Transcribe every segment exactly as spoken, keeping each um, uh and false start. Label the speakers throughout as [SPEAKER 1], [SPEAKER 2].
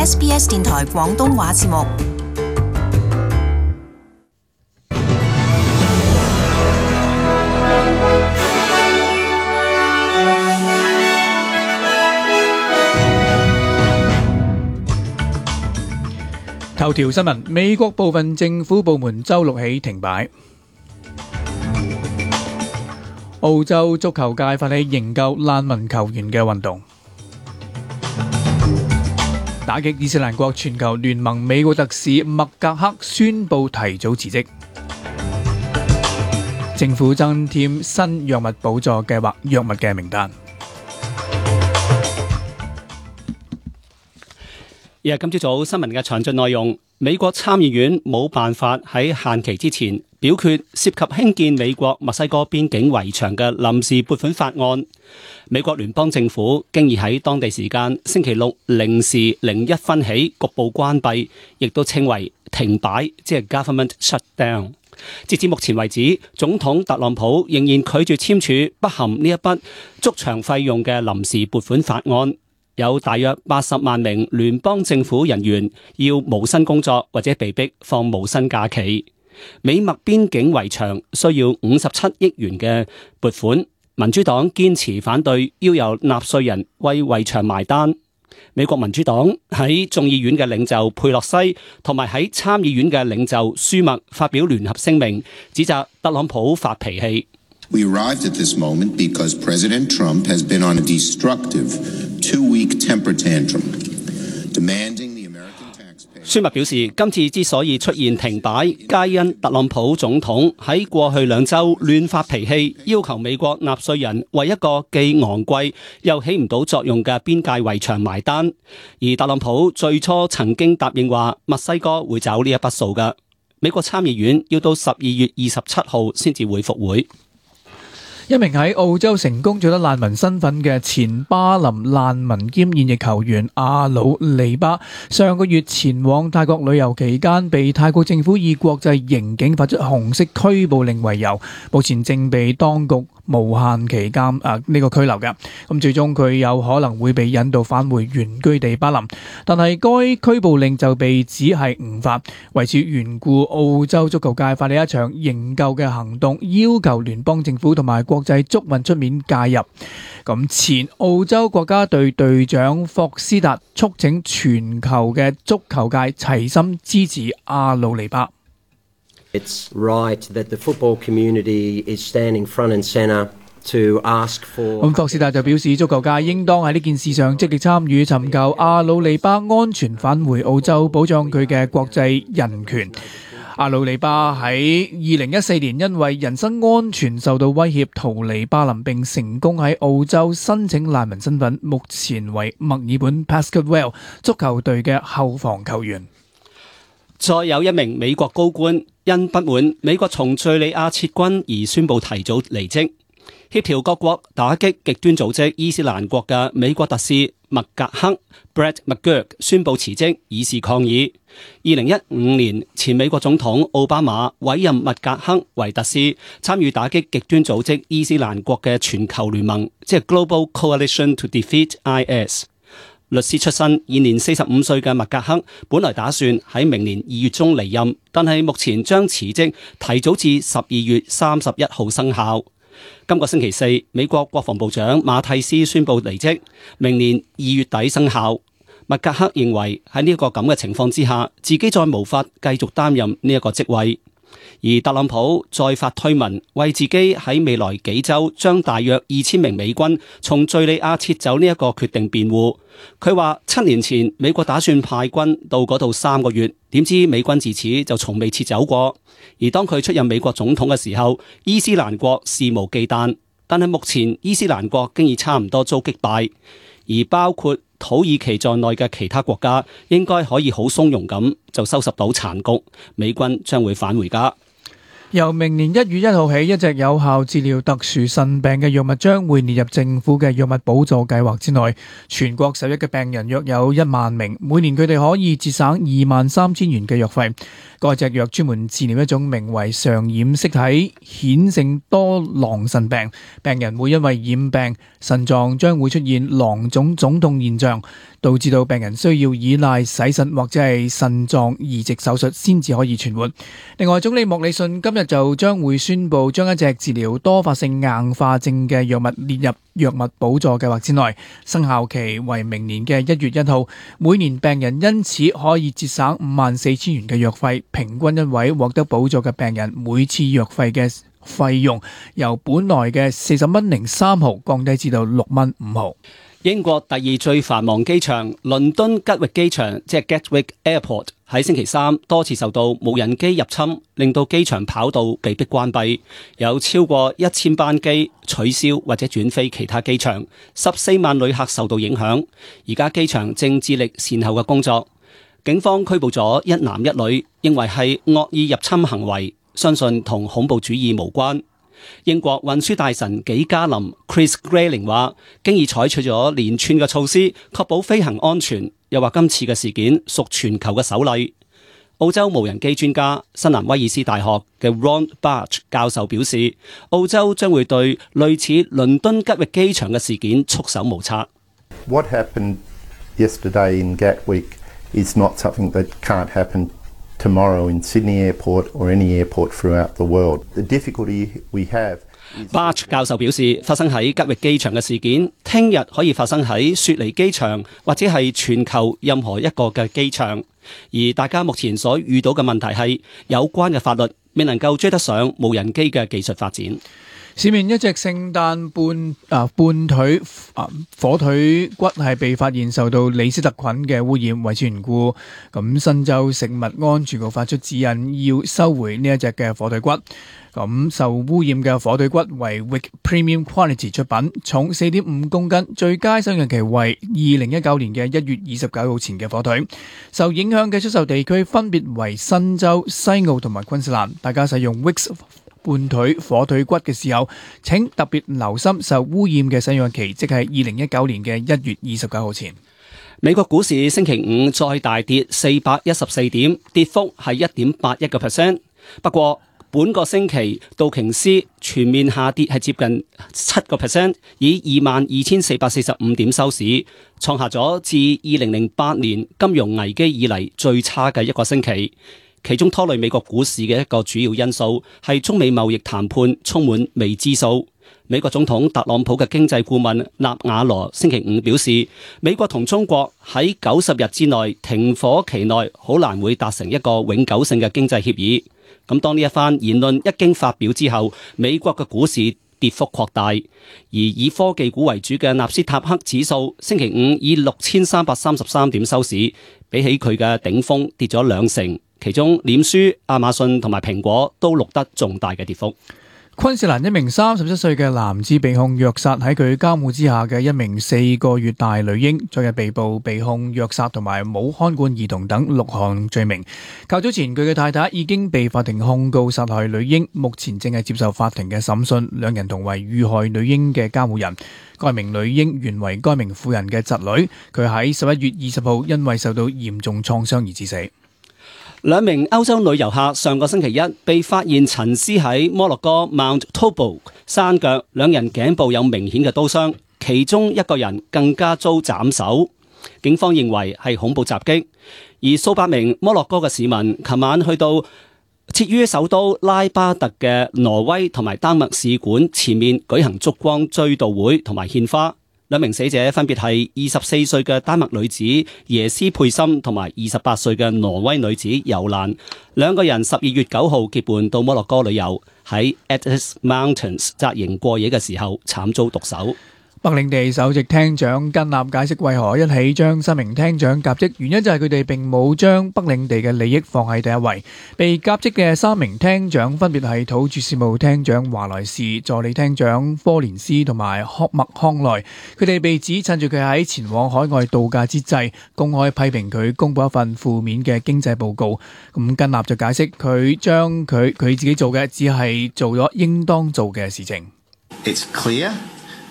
[SPEAKER 1] S B S 電台廣東話節目。
[SPEAKER 2] 頭條新聞：美國部分政府部門週六起停擺。澳洲足球界發起營救難民球員嘅運動。打擊伊斯蘭國全球聯盟美國特使麥格克宣布提早辭職。政府增添新藥物補助計劃藥物嘅名單。
[SPEAKER 3] 而係今朝早新聞嘅詳盡內容，美國參議院冇辦法喺限期之前表決涉及興建美國墨西哥邊境圍牆嘅臨時撥款法案。美國聯邦政府經已喺當地時間星期六零時零一分起局部關閉，亦都稱為停擺，即係 government shutdown。截至目前為止，總統特朗普仍然拒絕簽署不含呢一筆築牆費用嘅臨時撥款法案。有大約八十萬名聯邦政府人員要無薪工作或者被逼放無薪假期。美墨邊境圍牆需要五十七億元嘅撥款，民主黨堅持反對，要由納稅人為圍牆埋單。美國民主黨喺眾議院嘅領袖佩洛西同埋喺參議院嘅領袖舒默發表聯合聲明，指責特朗普發脾氣。
[SPEAKER 4] We arrived at this moment because President Trump has been on a destructive two-week temper tantrum, demanding the American taxpayer.
[SPEAKER 3] 舒默表示，今次之所以出現停擺，皆因特朗普總統喺過去兩週亂發脾氣，要求美國納稅人為一個既昂貴又起唔到作用嘅邊界圍牆埋單。而特朗普最初曾經答應話，墨西哥會找呢一筆數㗎。美國參議院要到十二月二十七號先至會復會。
[SPEAKER 2] 一名喺澳洲成功取得難民身份嘅前巴林難民兼現役球員阿魯尼巴，上個月前往泰國旅遊期間，被泰國政府以國際刑警發出紅色拘捕令為由，目前正被當局無限期監啊呢個拘留嘅。咁最終佢有可能會被引渡返回原居地巴林，但係該拘捕令就被指係誤發。為此緣故，澳洲足球界發起一場營救嘅行動，要求聯邦政府同埋國際足運出面介入。咁前澳洲國家隊隊長霍斯達促請全球嘅足球界齊心支持阿魯尼巴。
[SPEAKER 5] It's right that the football community is standing front and centre to ask for。
[SPEAKER 2] 咁霍斯達就表示，足球界應當喺呢件事上積極參與，尋求阿魯尼巴安全返回澳洲，保障佢嘅國際人權。阿魯尼巴喺二零一四年因為人身安全受到威脅逃離巴林，並成功喺澳洲申請難民身份，目前為墨爾本 Pascal 足球隊嘅後防球員。
[SPEAKER 3] 再有一名美國高官因不滿美國從敘利亞撤軍而宣布提早離職。協調各國打擊極端組織伊斯蘭國嘅美國特使麥格克 Brett McGurk 宣布辭職，以示抗議。二零一五年前美國總統奧巴馬委任麥格克為特使，參與打擊極端組織伊斯蘭國嘅全球聯盟，即係 Global Coalition to Defeat I S。律師出身，現年四十五歲嘅麥格克本來打算喺明年二月中離任，但係目前將辭職提早至十二月三十一號生效。今個星期四，美國國防部長馬蒂斯宣布離職，明年二月底生效。麥格克認為喺呢一個咁嘅情況之下，自己再無法繼續擔任呢一個職位。而特朗普再發推文，為自己喺未來幾週將大約二千名美軍從敘利亞撤走呢一個決定辯護。佢話七年前美國打算派軍到嗰度三個月，點知美軍自此就從未撤走過。而當佢出任美國總統嘅時候，伊斯蘭國肆無忌憚，但係目前伊斯蘭國經已差唔多遭擊敗，而包括土耳其在內嘅其他國家應該可以好鬆容咁就收拾到殘局，美軍將會返回家。
[SPEAKER 2] 由明年一月一號起，一隻有效治療特殊腎病嘅藥物將會列入政府嘅藥物補助計劃之內。全國受益嘅病人約有一萬名，每年佢哋可以節省二萬三千元嘅藥費。該隻藥專門治療一種名為常染色體顯性多囊腎病，病人會因為染病，腎臟將會出現囊腫腫痛現象。導致到病人需要依賴洗腎或者係腎臟移植手術先至可以存活。另外，總理莫里遜今日就將會宣布將一隻治療多發性硬化症嘅藥物列入藥物補助計劃之內，生效期為明年嘅一月一號。每年病人因此可以節省五萬四千元嘅藥費，平均一位獲得補助嘅病人每次藥費嘅費用由本來嘅四十蚊零三毫降低至到六蚊五毫。
[SPEAKER 3] 英國第二最繁忙機場倫敦吉域機場，即係 Gatwick Airport，喺星期三多次受到無人機入侵，令到機場跑道被迫關閉，有超過一千班機取消或者轉飛其他機場，十四萬旅客受到影響。而家機場正致力善後嘅工作，警方拘捕咗一男一女，認為係惡意入侵行為，相信同恐怖主義無關。英國運輸大臣紀嘉林 Chris Grayling 話，經已採取咗連串嘅措施，確保飛行安全。又話今次嘅事件屬全球嘅首例。澳洲無人機專家新南威爾斯大學嘅 Ron Barch 教授表示，澳洲將會對類似倫敦吉域機場嘅事件束手無策。
[SPEAKER 6] What happened yesterday in Gatwick is not something that can't happen tomorrow in Sydney Airport or any airport throughout the world. The difficulty we have.
[SPEAKER 3] Barch 教授表示，發生喺吉域機場嘅事件，聽日可以發生喺雪梨機場或者係全球任何一個嘅機場。而大家目前所遇到嘅問題係，有關嘅法律未能夠追得上無人機嘅技術發展。
[SPEAKER 2] 市面一隻聖誕半啊半腿啊火腿骨係被發現受到李斯特菌嘅污染，為此緣故，咁新州食物安全局發出指引，要收回呢一隻嘅火腿骨。咁受污染嘅火腿骨為 Wick Premium Quality 出品，重四點五公斤，最佳收容期為二零一九年嘅一月二十九號前嘅火腿。受影響嘅出售地區分別為新州、西澳同埋昆士蘭。大家使用 Wick半腿火腿骨嘅時候，請特別留心受污染嘅使用期，即係二零一九年嘅一月二十九號前。
[SPEAKER 3] 美國股市星期五再大跌四百一十四點，跌幅係一點八一個 percent。不過本個星期道瓊斯全面下跌係接近七個 percent， 以二萬二千四百四十五點收市，創下咗自二零零八年金融危機以嚟最差嘅一個星期。其中拖累美國股市嘅一個主要因素係中美貿易談判充滿未知數。美國總統特朗普嘅經濟顧問納瓦羅星期五表示，美國同中國喺九十日之內停火期內好難會達成一個永久性嘅經濟協議。咁當呢一番言論一經發表之後，美國嘅股市跌幅擴大，而以科技股為主嘅納斯達克指數星期五以六千三百三十三點收市，比起佢嘅頂峰跌咗兩成。其中臉書、亞馬遜同埋蘋果都錄得重大嘅跌幅。
[SPEAKER 2] 昆士蘭一名三十七歲嘅男子被控虐殺喺佢監護之下嘅一名四個月大女嬰，昨日被捕，被控虐殺同埋冇看管兒童等六項罪名。較早前佢嘅太太已經被法庭控告殺害女嬰，目前正係接受法庭嘅審訊，兩人同為遇害女嬰嘅監護人。該名女嬰原為該名婦人嘅侄女，佢喺十一月二十號因為受到嚴重創傷而致死。
[SPEAKER 3] 兩名歐洲女遊客上個星期一被發現陳屍喺摩洛哥 Mount Toubou 山腳，兩人頸部有明顯嘅刀傷，其中一個人更加遭斬首。警方認為係恐怖襲擊，而數百名摩洛哥嘅市民琴晚去到設於首都拉巴特嘅挪威同埋丹麥使館前面舉行燭光追悼會同埋獻花。兩名死者分別係二十四歲嘅丹麥女子耶斯佩森同埋二十八歲嘅挪威女子尤蘭，兩個人十二月九號結伴到摩洛哥旅遊，喺 Atlas Mountains 紮營過夜嘅時候慘遭毒手。
[SPEAKER 2] 北領地首席廳長根納解釋為何一起將三名廳長革職，原因就係佢哋並冇將北領地嘅利益放喺第一位。被革職嘅三名廳長分別係土著事務廳長華萊士、助理廳長科連斯同埋霍麥康內。佢哋被指趁住佢喺前往海外度假之際，公開批評佢公布一份負面嘅經濟報告。咁根納就解釋佢將佢佢自己做嘅只係做咗應當做嘅事情。
[SPEAKER 7] It's clear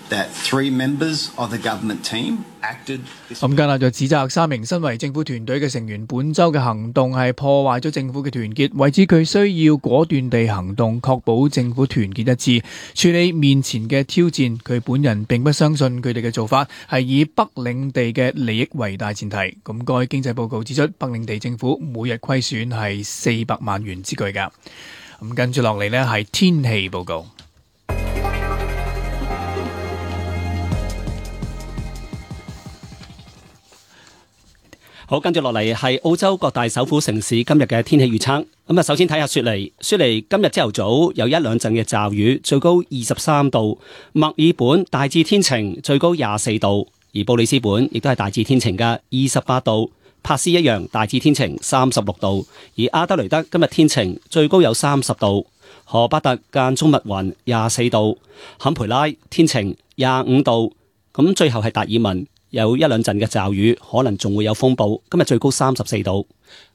[SPEAKER 7] that three members of the government team acted.
[SPEAKER 2] 咁加納就指責三名身為政府團隊嘅成員本週嘅行動係破壞咗政府嘅團結，為之佢需要果斷地行動，確保政府團結一致，處理面前嘅挑戰。佢本人並不相信佢哋嘅做法係以北領地嘅利益為大前提。咁該經濟報告指出，北領地政府每日虧損係四百萬元之巨㗎。咁跟住落嚟呢係天氣報告。
[SPEAKER 3] 好，跟住落嚟係澳洲各大首府城市今日嘅天氣預測。咁啊，首先睇下雪梨。雪梨今日朝頭早有一兩陣嘅驟雨，最高二十三度。墨爾本大致天晴，最高廿四度。而布里斯本亦都係大致天晴嘅，二十八度。珀斯一樣大致天晴，三十六度。而阿德雷德今日天晴，最高有三十度。荷巴特間中密雲，廿四度。坎培拉天晴，廿五度。咁最後係達爾文。有一兩陣嘅驟雨，可能仲會有風暴。今日最高三十四度。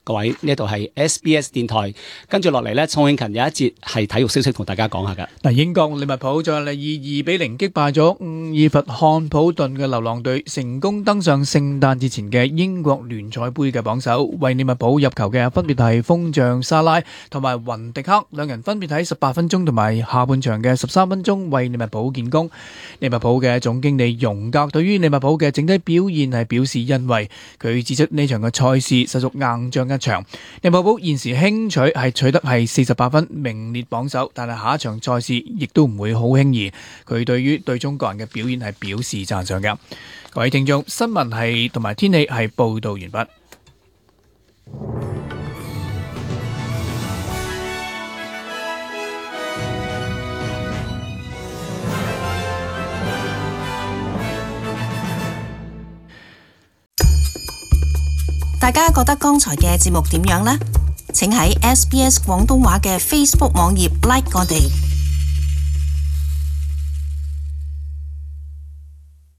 [SPEAKER 3] 各位，呢度係 S B S 電台，跟住落嚟呢，宋慶勤有一節係體育消息同大家講下㗎。
[SPEAKER 2] 嗱，英國利物浦再嚟以二比零擊敗咗伍爾弗漢普頓嘅流浪隊，成功登上聖誕節前嘅英國聯賽杯嘅榜首。為利物浦入球嘅分別係鋒將沙拉同埋雲迪克，兩人分別喺十八分鐘同埋下半場嘅十三分鐘為利物浦建功。利物浦嘅總經理容格對於利物浦嘅整體表現係表示欣慰，佢指出呢場嘅賽事實屬硬仗一場。利物浦現時輕取係取得係四十八分，名列榜首，但係下一場賽事亦都唔會好輕易。佢對於隊中個人嘅表現係表示讚賞嘅。各位聽眾，新聞係同埋天氣係報道完畢。
[SPEAKER 1] 大家覺得剛才嘅節目點樣呢？請喺 S B S 廣東話嘅 Facebook 網頁 like 我哋。